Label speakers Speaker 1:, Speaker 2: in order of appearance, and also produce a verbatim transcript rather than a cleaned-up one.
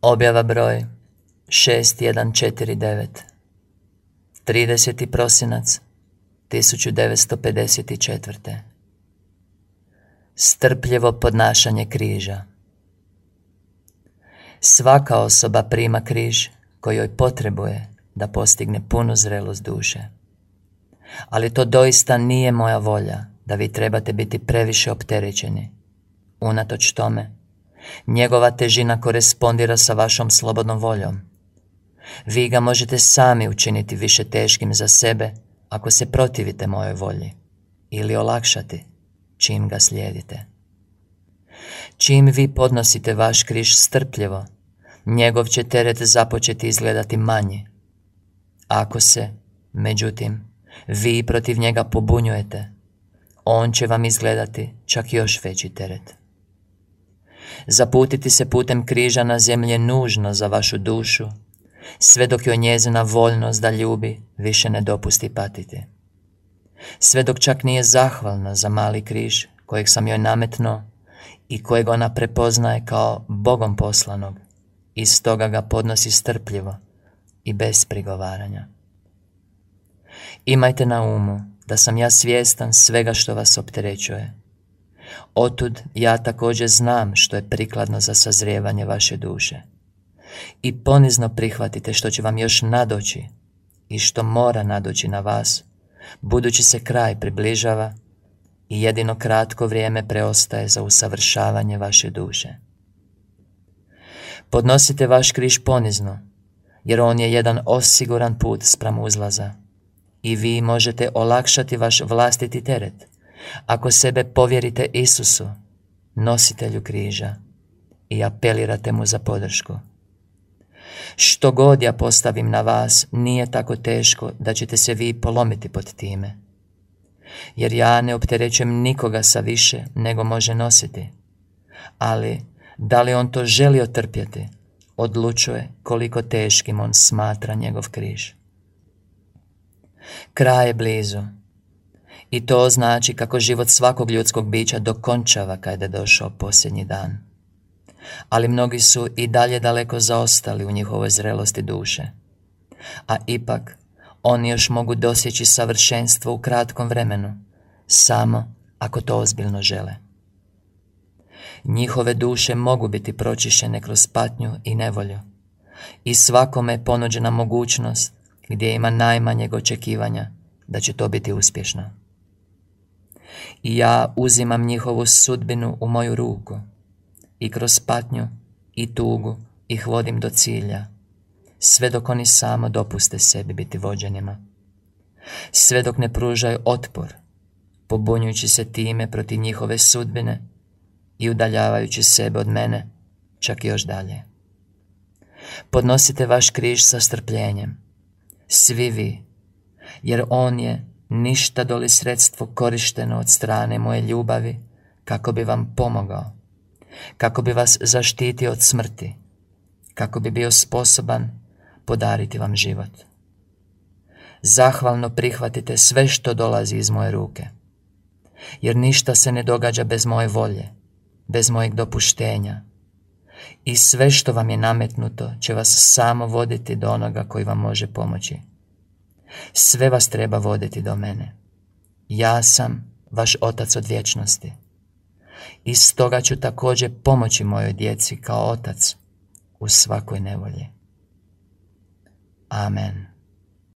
Speaker 1: Objava broj šest jedan četiri devet. trideseti prosinac tisuću devetsto pedeset četvrte. Strpljivo podnašanje križa. Svaka osoba prima križ koji joj potrebuje da postigne punu zrelost duše. Ali to doista nije moja volja da vi trebate biti previše opterećeni. Unatoč tome, njegova težina korespondira sa vašom slobodnom voljom. Vi ga možete sami učiniti više teškim za sebe ako se protivite mojoj volji, ili olakšati čim ga slijedite. Čim vi podnosite vaš križ strpljivo, njegov će teret započeti izgledati manji. Ako se, međutim, vi protiv njega pobunjujete, on će vam izgledati čak još veći teret. Zaputiti se putem križa na zemlji je nužno za vašu dušu, sve dok joj njezina voljnost da ljubi više ne dopusti patiti. Sve dok čak nije zahvalna za mali križ kojeg sam joj nametnuo i kojeg ona prepoznaje kao Bogom poslanog i stoga ga podnosi strpljivo i bez prigovaranja. Imajte na umu da sam ja svjestan svega što vas opterećuje. Otud ja također znam što je prikladno za sazrijevanje vaše duše. I ponizno prihvatite što će vam još nadoći i što mora nadoći na vas, budući se kraj približava i jedino kratko vrijeme preostaje za usavršavanje vaše duše. Podnosite vaš križ ponizno, jer on je jedan osiguran put spram uzlaza i vi možete olakšati vaš vlastiti teret ako sebe povjerite Isusu, nositelju križa, i apelirate mu za podršku. Što god ja postavim na vas nije tako teško da ćete se vi polomiti pod time, jer ja ne opterećujem nikoga sa više nego može nositi, ali da li on to želi otrpjeti, odlučuje koliko teškim on smatra njegov križ. Kraj je blizu i to znači kako život svakog ljudskog bića dokončava kada je došao posljednji dan. Ali mnogi su i dalje daleko zaostali u njihovoj zrelosti duše, a ipak oni još mogu dosjeći savršenstvo u kratkom vremenu, samo ako to ozbiljno žele. Njihove duše mogu biti pročišćene kroz patnju i nevolju i svakome je ponuđena mogućnost gdje ima najmanjeg očekivanja da će to biti uspješno. I ja uzimam njihovu sudbinu u moju ruku i kroz patnju i tugu ih vodim do cilja, sve dok oni samo dopuste sebi biti vođenima. Sve dok ne pružaju otpor, pobunjujući se time protiv njihove sudbine i udaljavajući sebe od mene čak još dalje. Podnosite vaš križ sa strpljenjem, svi vi, jer on je ništa doli sredstvo korišteno od strane moje ljubavi kako bi vam pomogao, kako bi vas zaštitio od smrti, kako bi bio sposoban podariti vam život. Zahvalno prihvatite sve što dolazi iz moje ruke, jer ništa se ne događa bez moje volje, bez mojeg dopuštenja, i sve što vam je nametnuto će vas samo voditi do onoga koji vam može pomoći. Sve vas treba voditi do mene. Ja sam vaš Otac od vječnosti i stoga ću također pomoći mojoj djeci kao otac u svakoj nevolji. Amen.